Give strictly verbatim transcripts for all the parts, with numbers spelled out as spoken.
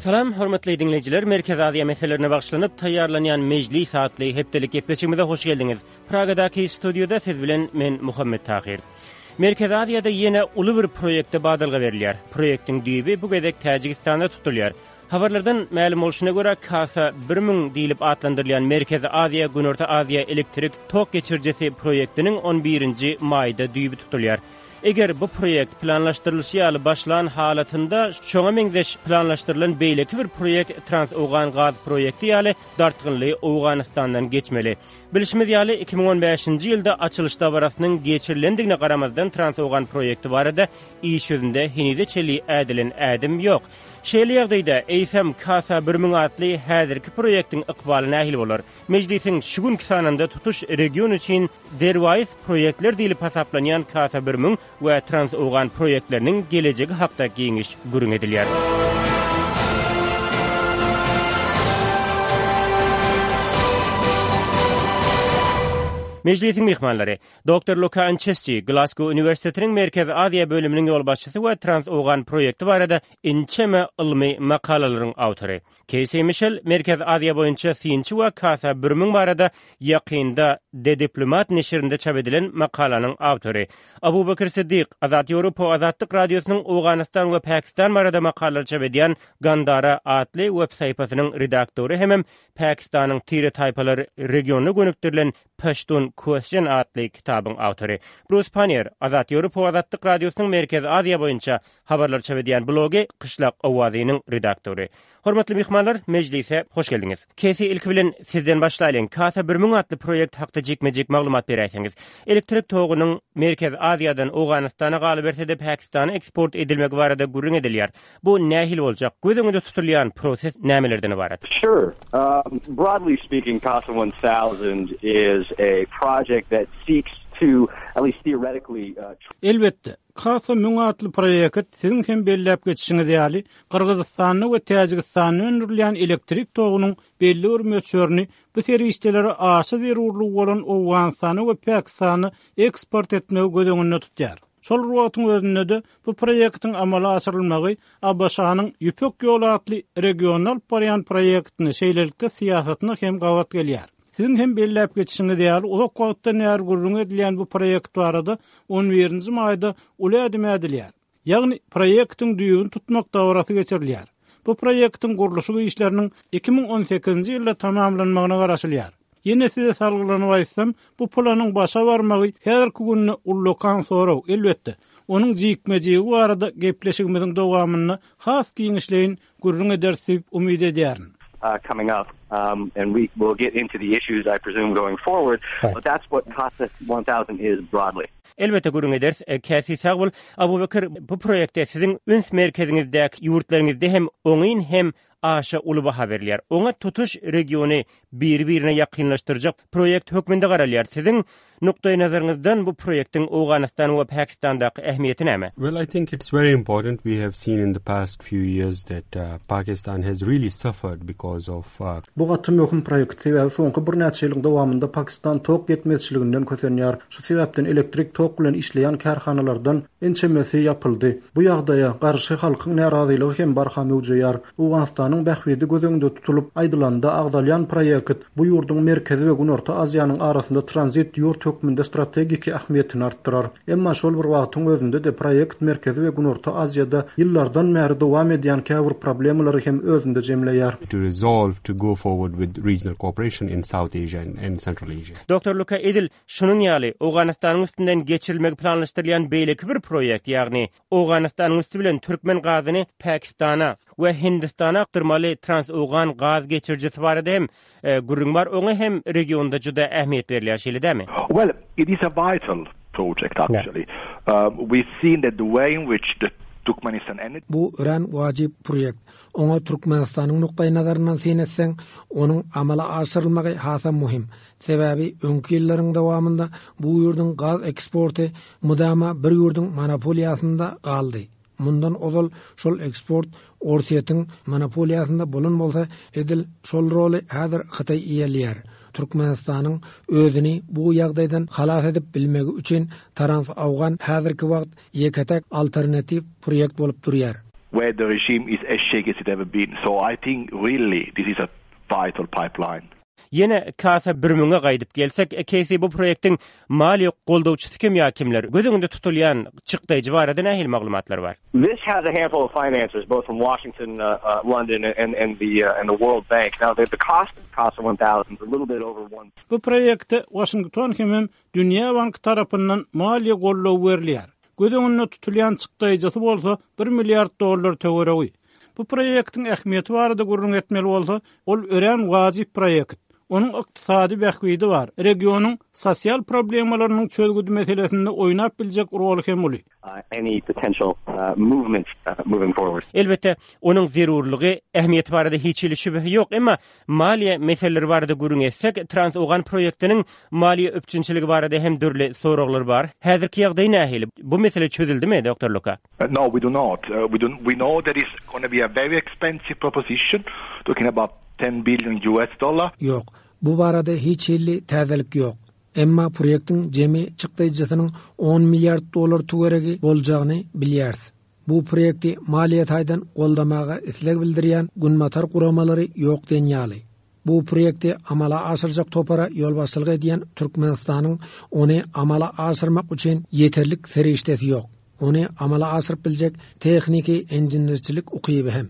Salam, hormatly diňleýjiler, Merkezi Aziýa meselelerine bagyşlanyp taýýarlanýan Mejlis atly hepdelik gepleşigimize hoş geldiňiz. Pragadaky studiýada siz bilen men Muhammet Tahyr. Merkezi Aziýada ýene uly bir proýekte badalga berilýär. Proýektiň düýbi bu gezek Täjigistanda tutulýar. Habarlardan mälim bolşuna görä, Kasa bir müň diýlip atlandyrylýan Merkezi Aziýa, Günorta Aziýa elektrik tok geçirijisi proýektiniň on birinji maýda düýbi tutulýar. Eger bu proýekt planlaşdyrylyşy ýaly başlan halatynda, şoňa meňzeş planlaşdyrylan beýleki bir proýekt Trans-Owgan gaz proýekti ýaly dartgynly Owganystandan geçmeli. Bilşimiz ýaly, iki müň on bäşinji ýylda açylyş dabarasynyň geçirilendigine garamazdan Trans-Owgan proýekti barada iş ýüzünde henize çenli ädilen ädim ýok. Şeýle ýagdaýda, eýsem, Kasa bir müň atly häzirki proýektiň ykbaly nähili bolar? Mejlisiň şu günki sanynda tutuş region üçin derwaýys proýektler diýlip hasaplanýan Kasa bir müň we Trans-Owgan proýektleriniň gelejegi hakda giňiş gürrüň edilýär. Mejlisiň myhmanlary, doktor Luka Ançesçi, Glasgow uniwersitetiniň Merkezi Aziýa bölüminiň ýolbaşçysy we Trans-Owgan proýekti barada inçeme ylmy makalalaryň awtory. Keýsi Mişel, Merkezi Aziýa boýunça synçy we Kasa bir müň barada ýakynda The Diplomat neşirinde çap edilen makalanyň awtory. Abubakir Siddik, Azat Ýewropa Azatlyk Radiosynyň Owganystan we Pakistan barada makalalar çap edýän Gandara atly web sahypasynyň redaktory hemem Pakistanyň tire-taýpalar regionyna gönükdirilen Pashtun Question atly kitabyň awtory. Brus Pannier, Azat Ýewropa Azatlyk Radiosynyň Merkezi Aziýa boýunça habarlar çap edýän blogy Kyşlak owazynyň redaktory. Hormatly myhmanlar, mejlise hoş geldiňiz. Kesi ilki bilen sizden başlaýlyň. Kasa bir müň atly proýekt hakda jikme-jik maglumat beräýseňiz. Elektrik togunyň Merkezi Aziýadan Owganystana galyberse-de Pakistana eksport edilmegi barada gürrüň edilýär. Bu nähili boljak? Göz öňünde tutulýan proses nämelerden ybarat? Sure. Um, broadly speaking, Kasa one thousand is a project that seeks to, at least theoretically, uh, Elbetde, Kasa müň atly proýekt siziň hem belläp geçişiňiz ýaly, Gyrgyzystanda we Täjigistanda öndürilýän elektrik togunyň belli bir möçberini bu serişdelere aşa zerurlygy bolan Owganystana we Pakistana eksport etmegi göz öňünde tutýar. Şol bir wagtyň özünde-de bu proýektiň amala aşyrylmagy A B Ş-nyň Ýüpek ýoly atly regionda alyp barýan proýektine şeýlelikde syýasatyna hem gabat gelýär. Siziň hem belläp geçişiňiz ýaly, uzak wagtdan bäri gürrüň edilýän bu proýekt barada on birinji maýda uly ädim ädilýär. Ýagny proýektiň düýbüni tutmak dabarasy geçirilýär. Bu proýektiň gurluşyk işleriniň iki müň on sekizinji ýylda tamamlanmagyna garaşylýar. Ýene size salgylanyp aýtsam, bu planyň başa barmagy häzirki günde ullakan sorag, elbetde. Onuň jikme-jigi barada gepleşigimiziň dowamynda has giňişleýin gürrüň ederis diýip umyt edýärin. Uh, coming up, um, and we will get into the issues, I presume, going forward, Right. but that's what Kasa one thousand is broadly. Elbetde gürrüň ederis. E, Käsi sag bol. Abubakir, bu proýektde siziň üns merkeziňizdäki ýurtlaryňyzda hem oňyn hem aşa uly baha berilýär. Oňa tutuş regiony bir-birine ýakynlaşdyrjak proýekt hökmünde garalýar. Siziň nukdaý nazaryňyzdan bu proýektiň Owganystan we Pakistandaky ähmiýeti näme? Well, I think it's very important. We have seen in the past few years that, uh, Pakistan has really suffered because of, uh, Bu gaty möhüm proýekt, sebäbi soňky birnäçe ýylyň dowamynda Pakistan tok ýetmezçiliginden kösenýär. Şu sebäpden elektrik tok bilen işleýän kärhanalardan ençemesi ýapyldy. Bu ýagdaýa garşy halkyň närazylygy hem barha möwjeýär. Owganystanyň bähbidi göz öňünde tutulyp aýdylanda agzalýan proýekt bu ýurduň Merkezi we Günorta Aziýanyň arasynda tranzit ýurt hökmünde strategiki ähmiýetini artdyrar. Emma şol bir wagtyň özünde de proýekt Merkezi we Günorta Aziýada ýyllardan bäri dowam edýän käbir problemalary hem özünde jemleýär. To resolve to go forward with regional cooperation in South Asia and, and Central Asia. Doktor Luka Edil, şunuň ýaly Owganystanyň üstünden geçirilmegi planlaşdyrylýan beýleki bir proýekt, ýagny Owganystanyň üstü bilen türkmen gazyny Pakistana we Hindistana akdyrmaly Trans-Owgan gaz geçirijisi barada hem, e, gürrüň bar. Oňa hem regionda juda ähmiýet berilýär, şeýle dämi? Well, it is a vital project actually. Yeah. Um, we've seen that the way in which the Turkmenistan energy Bu örän wajyp proýekt. Oňa Türkmenistanyň nukdaý nazaryndan syn etseň, onuň amala aşyrylmagy hasam muhim. Sebäbi öňki ýyllaryň dowamynda bu ýurduň gaz eksporty mudama bir ýurduň monopoliýasynda galdy. Mundan ozal şol eksport Orsýetiň monopoliýasynda bolan bolsa, edil şol roly häzir Hytaý eýeleýär. Türkmenistanyň özüni bu ýagdaýdan halas edip bilmegi üçin Trans-Awgan häzirki wagt ýeke-tek alternatiw proýekt bolup durýar. where the regime is as shaky as it ever been. So I think really this is a vital pipeline. Ýene Kasa bir müňe gaýdyp gelsek, Keýsi bu proýektiň maliýe goldawçysy kim ýa kimler? Göz öňünde tutulýan çykdaýjy barada nähili maglumatlar bar? This has a handful of financiers, both from Washington, uh, uh, London, and, and the uh, and the World Bank. Now, the, the cost of CASA one thousand is a little bit over one. Bu proýekte Washington hemem Dünýä Banky tarapyndan maliýe goldawy berilýär. Göz öňünde tutulýan çykdaýjysy bolsa bir milliard dollar töweregi. Bu proýektiň ähmiýeti barada gürrüň etmeli bolsa, ol örän wajyp proýekt. Onuň ykdysady bähbidi bar. Regionyň sosial problemalarynyň çözgüdi meselesinde oýnap biljek roly hem uly. Uh, any potential, uh, movement, uh, moving forward. Elbetde, onuň zerurlygy, ähmiýeti barada hiç hili şübhe ýok, emma maliýe meseleleri barada gürrüň etsek, Trans-Owgan proýektiniň maliýe üpjünçiligi barada hem dürli soraglar bar. Häzirki ýagdaý nähili? Bu mesele çözüldimi, Doktor Luka? Uh, no, we do not. Uh, we don't. We know that it's gonna be a very expensive proposition, talking about ten billion U S dollar. Ýok, bu barada hiç hili täzelik ýok. Emma proýektiň jemi çykdaýjysynyň on milliard dollar töweregi boljagyny bilýäris. Bu proýekti maliýe taýdan goldamaga isleg bildirýän günbatar guramalary ýok diýen ýaly. Bu proýekti amala aşyrjak topara ýolbaşçylyk edýän Türkmenistanyň ony amala aşyrmak üçin ýeterlik serişdesi ýok. Ony amala aşyryp biljek tehniki inženerçilik ukyby hem.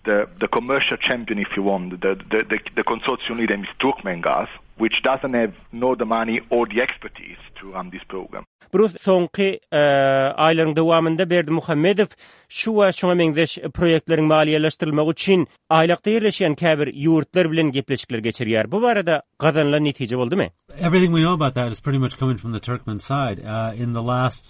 The, the commercial champion, if you want, the, the, the, the consortium leader is Turkmengaz, which doesn't have nor the money or the expertise to run this program. Bruce, soňky, e, aýlaryň dowamynda Berdimuhamedow şu we şoňa meňzeş proýektleriň maliýeleşdirilmegi üçin aýlakda ýerleşýän käbir ýurtlar bilen gepleşikler geçirýär. Bu barada gazanylan netije boldumy? Everything we know about that is pretty much coming from the Turkmen side. Uh, in the last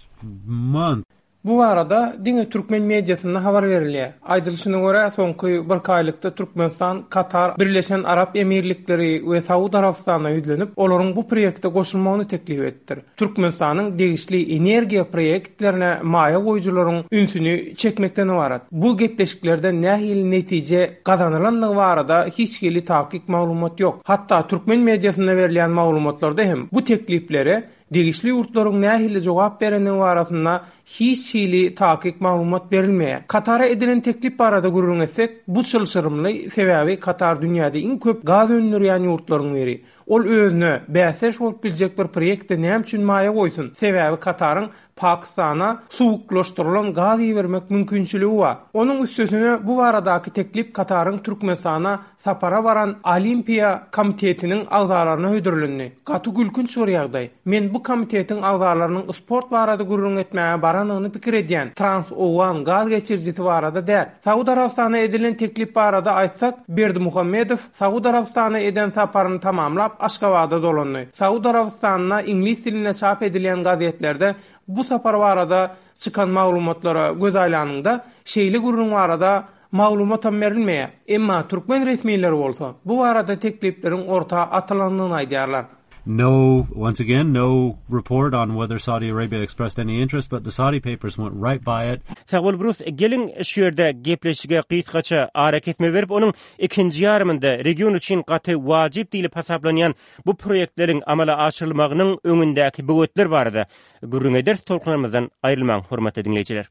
month. Bu barada diňe türkmen mediasynda habar berilýär. Aýdylyşyna görä soňky bir aýlykda Türkmenistan, Katar, Birleşen Arap Emirlikleri we Saud Arabystanyna ýüzlenip, olaryň bu proýekte goşulmagyny teklip etdir. Türkmenistanyň degişli energiýa proýektlerine maýa goýujylaryň ünsüni çekmekden ibarat. Bu gepleşiklerden nähili netije gazanylandygy barada hiç hili takyk maglumat ýok. Hatda türkmen mediasynda berilýän maglumatlarda hem bu tekliplere degişli ýurtlaryň nähili jogap berendigi barasynda hiç hili takyk maglumat berilmeýär. Katara edilen teklip barada gürrüň etsek, bu çylşyrymly, sebäbi Katar dünýäde iň köp gaz öndürýän ýurtlaryň biri. Ol özüne bäsdeş bolup biljek bir proýektde näme üçin maýa goýsun? Sebäbi Kataryň Pakistana suwuklaşdyrylan gaz ibermek mümkinçiligi bar. Onuň üstesine bu baradaky teklip Kataryň Türkmenistana sapara baran Olimpiýa komitetiniň agzalaryna hödürlendi. Gaty gülkünç bir ýagdaý. Men bu komitetiň agzalarynyň sport barada gürrüň etmäge baranyny pikir edýän Trans-Owgan gaz geçirijisi barada däl. Saud Arabystana edilen teklip barada aýtsak, Berdimuhamedow Saud Arabystana eden saparyny tamamlap Aşgabada dolandy. Saud Arabystanyna iňlis dilinde çap edilen gazetlerde bu sapar barada çykan maglumatlara göz aýlanyňda şeýle gürrüň barada maglumat hem berilmeýär. Emma türkmen resmileri bolsa bu barada teklipleriň orta atylandygyny aýdýarlar. No, once again, no report on whether Saudi Arabia expressed any interest, but the Saudi papers went right by it. Sag bol Bruce, gelin şu ýerde gepleşige gysgaça ara kesme berip, onuň ikinji ýarymynda region üçin gaty wajyp diýlip hasaplanýan bu proýektleriň amala aşyrylmagynyň öňündäki böwetler barada gürrüň ederis. Tolkunlarymyzdan aýrylmaň, hormatly diňleýjiler.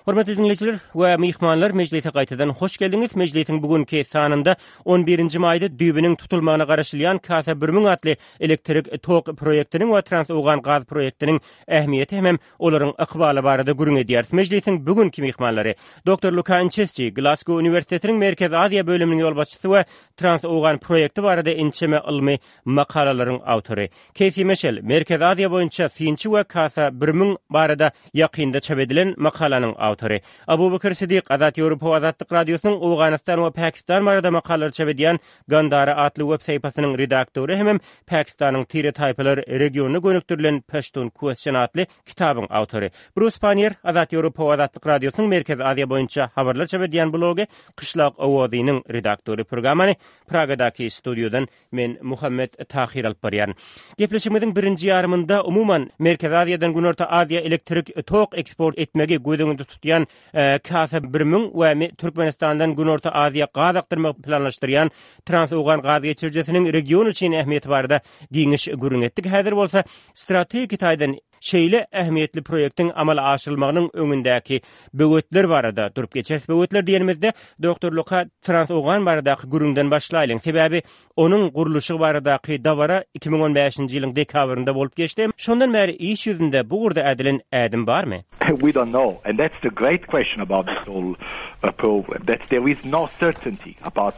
Hormatly dinleýjiler we myhmanlar, mejlise gaýtadan hoş geldiňiz. Mejlisiň bugünki sanynda on birinji maýda düýbüniň tutulmagyna garaşylýan Kasa bir müň atly elektrik tok proýektiniň we Trans-Owgan gaz proýektiniň ähmiýeti hem olaryň ykbaly barada gürrüň edýäris. Mejlisiň bugünki myhmanlary Doktor Luka Inçesçi, Glasgow Uniwersitetiniň Merkezi Aziýa bölüminiň ýolbaşçysy we Trans-Owgan proýekti barada inçeme ylmy makalalaryň awtory. Keýsi Meşel, Merkezi Aziýa boýunça synçy we Kasa bir müň barada ýakynda çap edilen makalanyň awtory. awtory. Abubakar Sidik, Azat Ýewropa Azatlyk Radiosynyň Owganystan we Pakistan barada makalalar çap edýän Gandara atly web sahypasynyň redaktory hemem Pakistanyň tire taýpalar regionyna gönükdirilen Pashtun Question atly kitabyň awtory. Brus Pannier, Azat Ýewropa Azatlyk Radiosynyň Merkezi Aziýa boýunça habarlar çap edýän blogy Kyşlak Owazynyň redaktory. Programmany Pragadaky studiýadan men Muhammet Tahir alyp barýan. Gepleşigimiziň birinji ýarymynda umuman Merkezi Aziýadan Günorta Aziýa elektrik tok eksport etmegi göz öňünde tutýan e, Kasa bir müň we Türkmenistandan Günorta Aziýa gaz akdyrmak planlaşdyrýan Trans-Owgan gaz geçirijisiniň region üçin ähmiýeti barada giňiş gürrüň etdik. Häzir bolsa strategik taýdan şeýle ähmiýetli proýektiň amala aşyrylmagynyň öňündäki böwetler barada durup geçeris. Böwetler diýenimizde Doktor Luka Trans-Owgan baradaky gürrüňden başlaýlyň. Sebäbi onuň gurluşy baradaky dabara iki müň on bäşinji ýylyň dekabrynda bolup geçdi. Şondan bäri iş ýüzünde bu ugurda ädilen ädim barmy? We don't know, and that's the great question about this whole uh, problem, that there is no certainty about.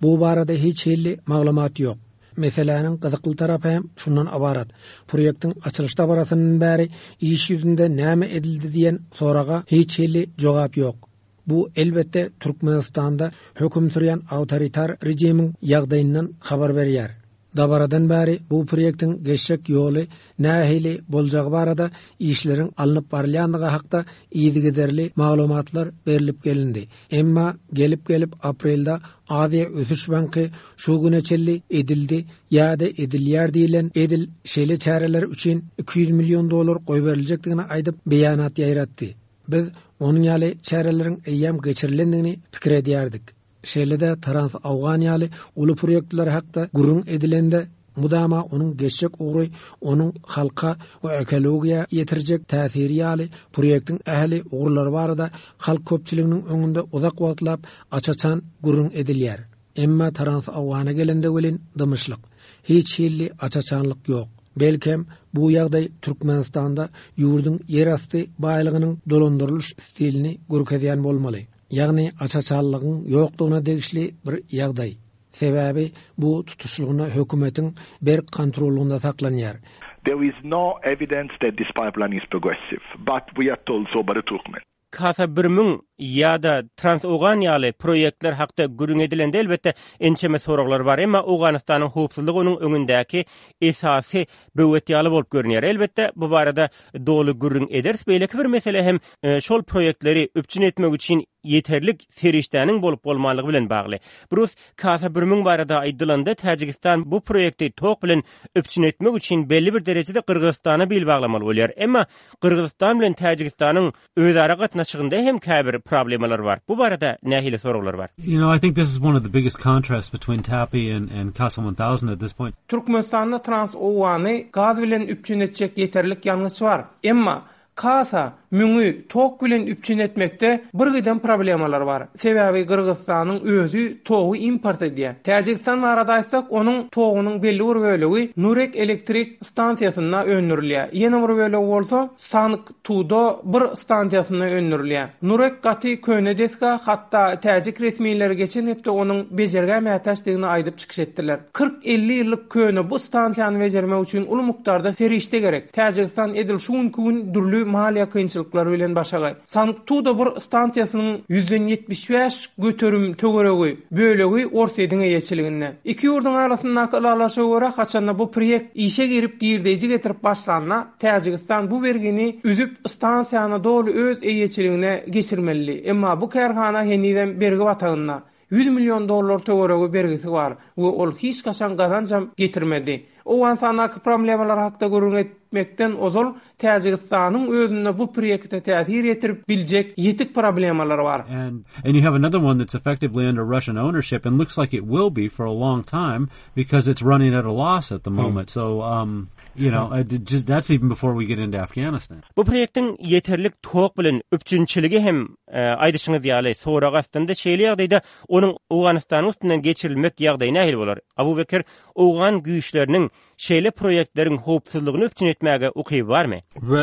Bu barada hiç hili maglumat ýok. Meseläniň gyzykly tarapy hem şundan ybarat. Proýektiň açylyş dabarasyndan bäri iş ýüzünde näme edildi diýen soraga hiç hili jogap ýok. Bu elbetde Türkmenistanda höküm sürýän awtoritar rejimiň ýagdaýyndan habar berýär. Dabaradan bäri bu proýektiň geçjek ýoly nähili boljagy barada işleriň alnyp barylýandygy hakda yzygiderli maglumatlar berilip gelindi. Emma gelip-gelip aprelde Aziýa Ösüş Banky şu güne çenli edildi ýa-da edilýär diýilen edil şeýle çäreler üçin iki ýüz million dollar goýberiljekdigini aýdyp beýanat ýaýratdy. Biz onuň ýaly çäreleriň eýýäm geçirilendigini pikir edýärdik. Şeýle-de Trans-Awgan ýaly uly proýektler hakda gürrüň edilende mudama onuň geçjek ugry, onuň halka we ekologiýa ýetirjek täsiri ýaly proýektiň ähli ugurlary barada halk köpçüliginiň öňünde uzak wagtlap aç-açan gürrüň edilýär. Emma Trans-Awgana gelende welin dymyşlyk, hiç hili aç-açanlyk ýok. Belkem bu ýagdaý Türkmenistanda ýurduň ýerasty baýlygynyň dolandyrylyş stilini görkezýän bolmaly. Ýagny aç-açanlygyň ýokdugyna degişli bir ýagdaý. Sebäbi bu tutuşlygyna hökümetiň berk kontrolunda saklanýar. There is no evidence that this pipeline is progressive, but we are told so by the Turkmen. Kasa bir müň ýa-da Trans-Owgan ýaly proýektler hakda gürrüň edilende elbetde ençeme soraglar bar, emma Owganystanyň howpsuzlygy onuň öňündäki esasy böwet ýaly bolup görünýär. Elbetde bu barada doly gürrüň ederis. Beýleki bir mesele hem, e, şol proýektleri üpjün etmek üçin ýeterlik serişdäniň bolup bolmanlygy bilen bagly. Brus, Kasa bir müň barada aýdylanda Täjigistan bu proýekti tok bilen üpjün etmek üçin belli bir derejede Gyrgyzystana bil baglamaly bolýar. Emma Gyrgyzystan bilen Täjigistanyň özara gatnaşygynda hem käbir problemalar bar. Bu barada nähili soraglar bar? You know, I think this is one of the biggest contrasts between TAPI and, and Kasa one thousand at this point. Türkmenistanda Trans-Owgany gaz bilen üpjün etjek ýeterlik ýangyç bar. Emma Kasa müňi tok bilen üpjün etmekde bir giden problemalar bar. Sebäbi Gyrgyzystanyň özi togy import edýär. Täjigistan barada aýtsak, onuň togunyň belli bir bölegi Nurek elektrik stansiýasynda öndürilýär. Ýene bir bölegi bolsa Sangtuda bir stansiýasynda öndürilýär. Nurek gaty köne desga, hatda täjik resmileri geçen hepde onuň bejergä mätäçdigini aýdyp çykyş etdiler. kyrk elli ýyllyk köne bu stansiýany bejermek üçin uly mukdarda serişde gerek. Täjigistan edil şu günkü gün dürli maliýe kynçylyklary bilen başagay. Sangtuda bir stansiýasynyň ýüzden ýetmiş bäş göterim töweregi bölegi Orsýetiň eýeçiliginde. Iki ýurduň arasyndaky ylalaşyga görä haçanda bu proýekt işe girip girdeýji getirip başlanda Täjigistan bu bergini üzüp stansiýany doly öz eýeçiligine geçirmeli. Emma bu kärhana henizem bergi batagynda. ýüz million dollar töweregi bergisi bar we ol hiç kaçan gazanjam getirmedi. Owganystandaki problemalar hakda gürrüň etmekden ozal Täjigistanyň özünde bu proýekte täsir ýetirip biljek ýetik problemalar bar. And, and you have another one that's effectively under Russian ownership and looks like it will be for a long time because it's running at a loss at the Hmm. moment. So, um, you know, uh, just, that's even before we get into Afghanistan. Bu proýektiň ýeterlik tok bilen üpjünçiligi hem aýdyşyňyz ýaly sorag astynda şeýle ýagdaýda onuň Owganystanyň üstünden geçirilmek ýagdaýy nähili bolar? Abu Bekir owgan güýçleriniň şeýle proýektleriň howpsuzlygyny üpjün etmäge ukyby barmy?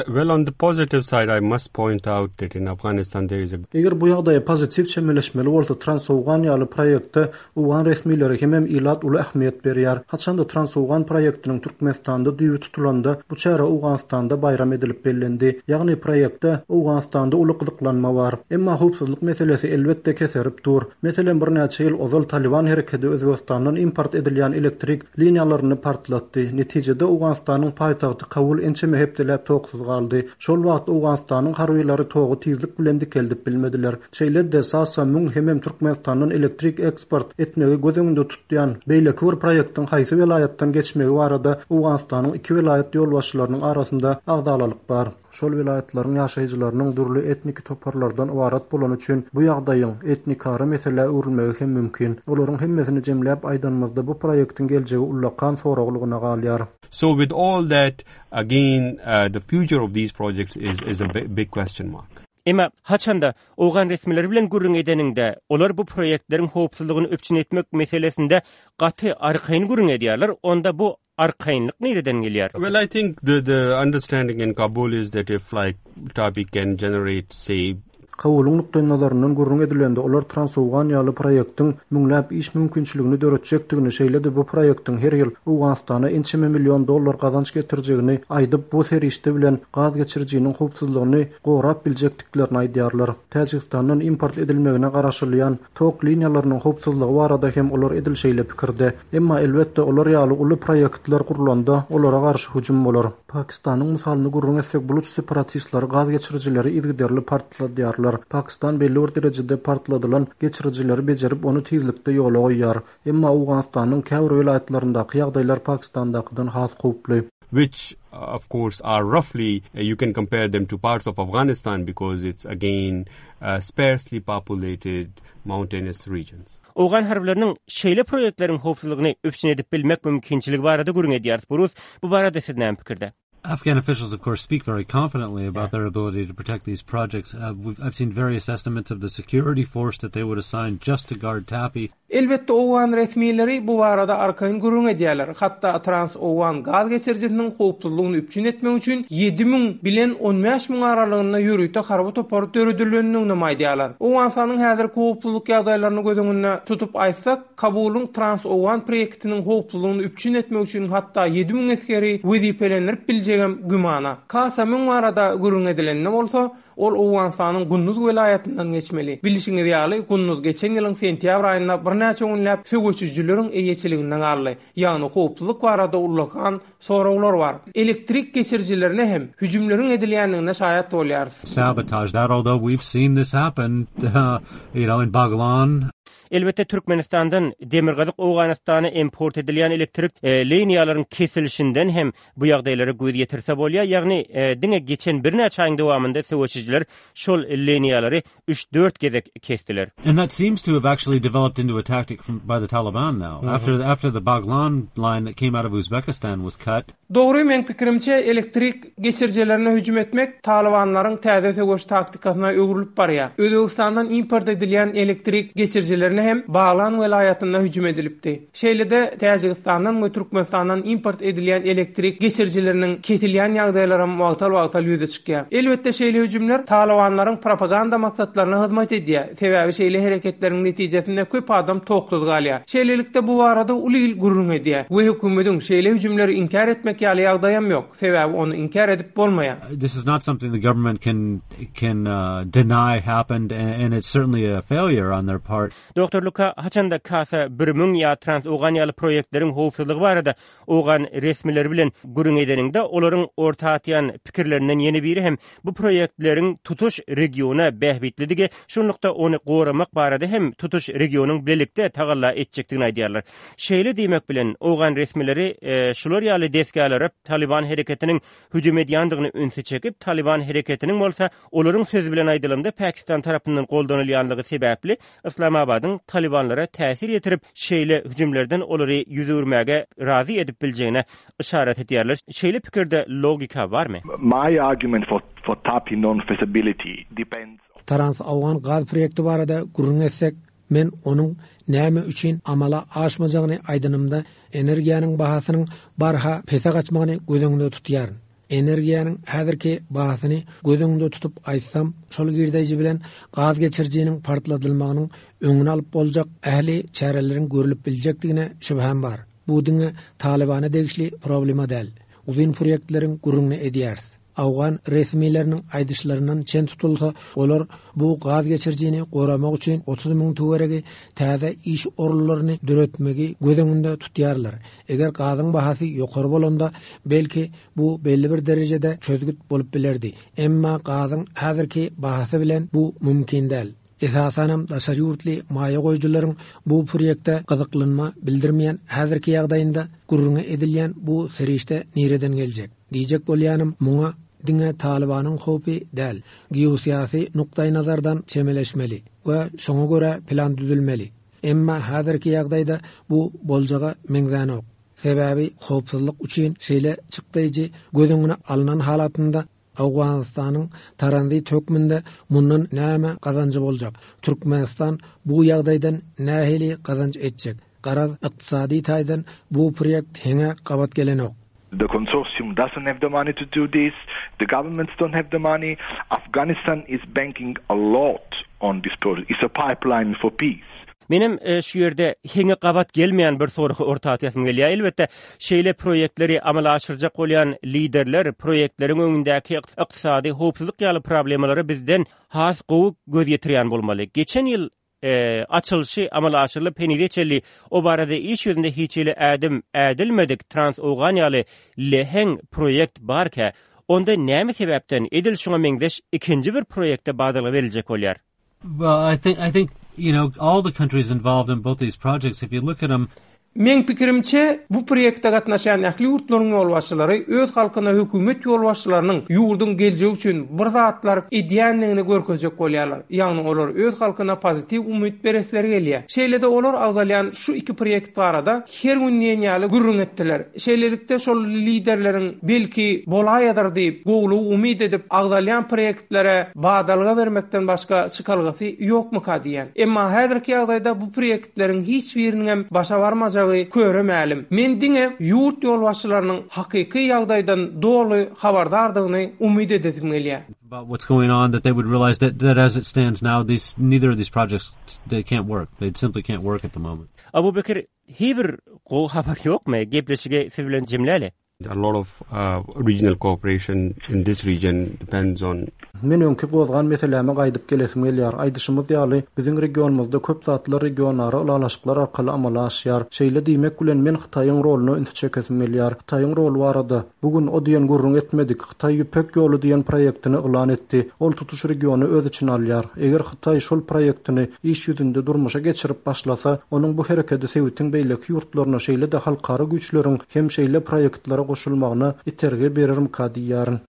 Well, on the positive side, I must point out that in Afghanistan there is a Eger bu ýagdaýa pozitiw çemeleşmeli bolsa, Transowgan ýaly proýekte owgan resmileri hemem ilat uly ähmiýet berýär. Haçanda Transowgan proýektiniň Türkmenistanda düýbi tutulanda, bu çäre Owganystanda baýram edilip bellendi. Ýagny proýektde Owganystanda uly gyzyklanma bar. Emma howpsuzlyk meselesi elbetde keserip dur. Meselem, birnäçe ýyl ozal Taliban hereketi Özbegistandan import edilýän elektrik liniýalaryny partlatdy. Netijede Owganystanyň paýtagty Kabul ençeme hepdeläp toksuz galdy. Şol wagt Owganystanyň harbylary togy tizlik bilen dikeldip bilmediler. Şeýle-de Sasa müň hemem Türkmenistandan elektrik eksport etmegi göz öňünde tutýan beýleki bir proýektiň haýsy welaýatdan geçmegi barada Owganystanyň iki welaýat ýolbaşçylarynyň arasynda agzalalyk bar. Şol welaýatlaryň ýaşaýjylarynyň dürli etniki toparlardan ybarat bolany üçin bu ýagdaýyň etnikara meselä öwrülmegi hem mümkin. Olaryň hemmesini jemläp aýdanymyzda bu proýektiň geljegi ullakan soraglygyna galýar. So with all that, again, uh, the future of these projects is, is a big, big question mark. Emma haçanda owgan resmileri bilen gürrüň edeniňde, olar bu proýektleriň howpsuzlygyny üpjün etmek meselesinde gaty arkaýyn gürrüň edýärler, onda bu arkaýynlyk nireden gelýär? Well, I think the, the understanding in Kabul is that if like TAPI can generate, say, Kabulyň nukdaý nazaryndan gürrüň edilende olar Transowgan ýaly proýektiň müňläp iş mümkinçiligini döretjekdigini, şeýle-de bu proýektiň her ýyl Owganystana ençeme million dollar gazanç getirjegini aýdyp, bu serişde bilen gaz geçirijiniň howpsuzlygyny gorap biljekdiklerini aýdýarlar. Täjigistandan import edilmegine garaşylýan tok liniýalarynyň howpsuzlygy barada hem olar edil şeýle pikirde. Emma elbetde olar ýaly uly proýektler gurlanda olara garşy hüjüm bolar. Pakistanyň mysalyny gürrüň etsek, buluç separatistleri gaz geçirijileri yzygiderli partladýarlar. Pakistan belli bir derejede partladylan geçirijileri bejerip ony tizlikde ýola goýýar. Emma Owganystanyň käbir welaýatlaryndaky ýagdaýlar Pakistandakydan has howply. which uh, of course are roughly uh, you can compare them to parts of Afghanistan because it's again uh, sparsely populated mountainous regions. Owgan harbylarynyň şeýle proýektleriň howpsuzlygyny üpjün edip bilmek mümkinçiligi barada gürrüň edýäris. Burus, bu barada siz näme pikirde? Afghan officials, of course, speak very confidently about their ability to protect these projects. Uh, we've, I've seen various estimates of the security force that they would assign just to guard TAPI. Elbetde Owgan resmileri bu barada arkaýyn gürrüň edýärler. Hatda Trans-Owgan gaz geçirijisiniň howpsuzlygyny üpjün etmek üçin ýedi müň bilen on bäş müň aralygynda ýörite harby topar döredilendigini aýdýarlar. Owganystanyň häzirki howpsuzlyk ýagdaýlaryny göz öňünde tutup aýtsak, Kabulyň Trans-Owgan proýektiniň howpsuzlygyny üpjün etmek üçin hatda ýedi müň esgeri wezipelendirip biljegem gümana. Kasa müň barada gürrüň edilende bolsa, ol Owganystanyň Gunduz welaýatyndan geçmeli. Bilişiňiz ýaly, Gunduz geçen ýylyň sentýabr aýynda birnäçe günläp söweşijileriň eýeçiliginden galdy. Ýagny howpsuzlyk barada ullakan soraglar bar. Elektrik geçirijilerine hem hüjümleriň edilýändigine şaýat bolýarys. Sabotage that, although we've seen this happen, uh, you know, in Baghlan. Elbetde Türkmenistandan Demirgazyk Owganystana import edilýän elektrik, e, liniýalaryň kesilişinden hem bu ýagdaýlara göz ýetirse bolýar. Ýagny, e, diňe geçen birnäçe aýyň dowamynda söweşijiler şol liniýalary üç dört gezek kestiler. And that seems to have actually developed into a tactic from, by the Taliban now. Mm-hmm. After, after the Baghlan line that came out of Uzbekistan was cut. Dogry, men pikirimçe elektrik geçirijilerine hüjüm etmek Talibanlaryň täze söweş taktikasyna öwrülip barýar. Özbegistandan import edilýän elektrik geçirijilerine hem Baglan welaýatynda hüjüm edilipdi. Şeýle-de Täjigistandan we Türkmenistandan import edilýän elektrik geçirijileriniň kesilýän ýagdaýlary wagtal-wagtal ýüze çykýar. Elbetde şeýle hüjümler Talibanlaryň propaganda maksatlaryna hyzmat edýär. Sebäbi şeýle hereketleriň netijesinde köp adam toksuz galýar. Şeýlelikde bu barada uly il gürrüň edýär we hökümetiň şeýle hüjümleri inkär etmek ýaly ýagdaýam ýok. Sebäbi ony inkär edip bolmaýar. This is not something the government can, can, uh, deny happened, and, and it's certainly a failure on their part. Doktor Luka, haçanda Kasa bir müň ýa Trans-Owgan ýaly proýektleriň howpsuzlygy barada Owgan resmileri bilen gürrüň edeniňde, olaryň orta atýan pikirlerinden ýene biri hem bu proýektleriň tutuş regiona bähbitlidigi, şunlukda ony goramak barada hem tutuş regionyň bilelikde tagalla etjekdigini aýdýarlar. Şeýle diýmek bilen Owgan resmileri, e, şular ýaly desgalara Taliban hereketiniň hüjüm edýändigini ünsi çekip, Taliban hereketiniň bolsa olaryň sözi bilen aýdylanda Pakistan tarapyndan goldanylýanlygy sebäpli Islamabadyň Talibanlara täsir ýetirip, şeýle hüjümlerden olary ýüz öwürmäge razy edip biljegine işaret edýärler. Şeýle pikirde logika barmy? My argument for, for TAPI non-feasibility depends Trans-Awgan gaz proýekti barada gürrüň etsek, men onuň näme üçin amala aşmajagyny aýdanymda energiýanyň bahasynyň barha pese gaçmagyny göz öňünde tutýaryn. Energiýanyň häzirki bahasyny göz öňünde tutup aýtsam, şol girdeji bilen gaz geçirijiniň partladylmagynyň öňüni alyp boljak ähli çäreleriň görülip biljekdigine şübhäm bar. Bu diňe Talibana degişli problema däl. Uzyn proýektleriň gürrüňini edýäris. Awgan resmileriniň aýdyşlaryndan çen tutulsa, olar bu gaz geçirijini goramak üçin otuz müň töweregi täze iş orunlaryny döretmegi göz öňünde tutýarlar. Eger gazyň bahasy ýokary bolanda, belki bu belli bir derejede çözgüt bolup bilerdi. Emma gazyň häzirki bahasy bilen bu mümkin däl. Esasanam daşary ýurtly maýa goýujylaryň bu proýekte gyzyklanma bildirmeýän häzirki ýagdaýynda gürrüňi edilýän bu serişde nireden geljek? Diýjek bolýanym, muňa diňe Talibanyň howpy däl, geosyýasy nukdaý nazardan çemeleşmeli we şoňa görä plan düzülmeli. Emma häzirki ýagdaýda bu boljaga meňzänok. Sebäbi howpsuzlyk üçin şeýle çykdaýjy göz öňüne alnan halatynda Awganystanyň tranzit hökmünde mundan näme gazanjy boljak? Türkmenistan bu ýagdaýdan nähili gazanç etjek? Garaz ykdysady taýdan bu proýekt heňe gabat gelenok. The consortium doesn't have the money to do this. The governments don't have the money. Afghanistan is banking a lot on this project. It's a pipeline for peace. Menem e, şu ýerde heňe gabat gelmeýän bir soragy orta atýasym gelýär. Elbetde, şeýle proýektleri amala aşyrjak bolýan liderler proýektleriň öňündäki ykdysady howpsuzlyk ýaly problemalara bizden has gowy göz ýetirýän bolmaly. Geçen ýyl e, açylyşy amala aşyrylyp henize çenli o barada iş ýüzünde hiç hili ädim ädilmedik Trans-Owgan ýaly leheň proýekt barka, onda näme sebäpden edil şuňa meňzeş ikinji bir proýekte badalga beriljek bolýar? Well, I think I think you know all the countries involved in both these projects. If you look at them, Meň pikirimçe, bu proýekte gatnaşýan ähli ýurtlaryň ýolbaşçylary öz halkyna hökümet ýolbaşçylarynyň ýurduň geljegi üçin bir zatlar edýändigini görkezjek bolýarlar. Ýagny olar öz halkyna pozitiw umyt beresleri gelýär. Şeýle-de olar agzalýan şu iki proýekt barada her gün diýen ýaly gürrüň etdiler. Şeýlelikde şol liderleriň belki bolaýadyr diýip, gowulygy umyt edip agzalýan proýektlere badalga bermekden başga çykalgasy ýokmyka diýen. Emma häzirki ýagdaýda bu proýektleriň hiç biriniň hem başa barmajagy köre mälim. Men diňe ýurt ýolbaşçylarynyň hakyky ýagdaýdan doly habardardygyny umyt edesim gelýär. about what's going on, that they would realize that, that as it stands now, these neither of these projects they can't work. They simply can't work at the moment. Abu Bekir, hiç bir gowy habar ýokmy? Gepleşigi siz bilen jemläli. A lot of uh, regional cooperation in this region depends on Men öňki gozgan meseläme gaýdyp gelesim gelýär. Aýdyşymyz ýaly, biziň regionymyzda köp zatlar regionara ylalaşyklar arkaly amala aşýar. Şeýle diýmek bilen men Hytaýyň roluna ünsi çekesim gelýär. Hytaýyň roly barada bu gün o diýen gürrüň etmedik. Hytaý Ýüpek ýoly diýen proýektini yglan etdi. Ol tutuş regiony öz içine alýar. Eger Hytaý şol proýektini iş ýüzünde durmuşa geçirip başlasa, onuň bu hereketi sebitiň beýleki ýurtlaryna şeýle-de halkara güýçleriň hem şeýle proýektlere goşulmagyna itergi berermika diýýärin.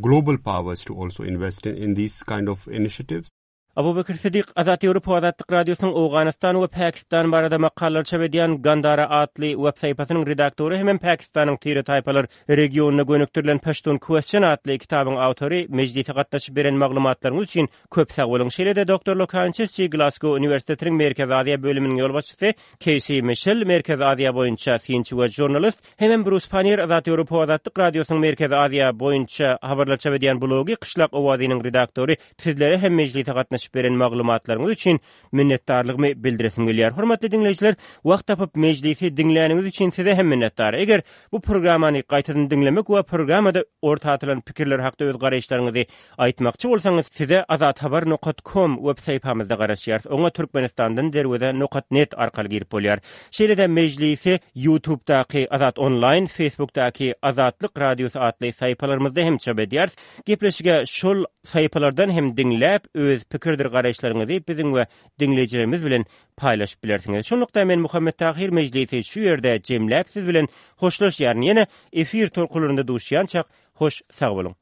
global powers to also invest in, in these kind of initiatives. Abu Bekir Sidik Azat Ýewropa Azatlyk Radiosynyň Owganystan we Pakistan barada makalalar çap edýän Gandara atly web sahypasynyň redaktory hem Pakistanyň tire taýpalar regionyna gönükdirilen Pashtun Question atly kitabyň awtory mejlise gatnaşyp beren maglumatlaryňyz üçin köp sag boluň. Şeýle-de Doktor Lokan Çeşçi Glasgow Uniwersitetiniň Merkezi Aziýa bölüminiň ýolbaşçysy Casey Michel Merkezi Aziýa boýunça synçy we žurnalist hem Bruce Pannier Azat Ýewropa Azatlyk Radiosynyň Merkezi Aziýa boýunça habarlar çap edýän blogy Qishlaq owazynyň redaktory sizlere hem mejlise gatnaşyp beren maglumatlaryňyz üçin minnetdarlygymy bildiresim gelýär. Hormatly diňleýjiler, wagt tapyp mejlisi diňläniňiz üçin size hem minnetdar. Eger bu programmany gaýtadan diňlemek we programmada orta atylan pikirler hakda öz garaýyşlaryňyzy aýtmakçy bolsaňyz, size azathabar nokta com web sahypamyzda garaşýarys. Oňa Türkmenistandan derweze nokta net arkaly girip bolýar. Şeýle-de mejlisi YouTube'daky Azat Online, Facebook'daky Azatlyk Radiosy atly sahypalarymyzda hem çap edýäris. Gepleşige şol sahypalardan hem diňläp öz pikirdir garaýyşlaryňyzy biziň we diňleýjilerimiz bilen paýlaşyp bilersiňiz. Şonlukda men Muhammet Tahir mejlisi şu ýerde jemläp siz bilen hoşlaşýaryn. Ýene efir tolkunlarynda duşýançak hoş sag boluň.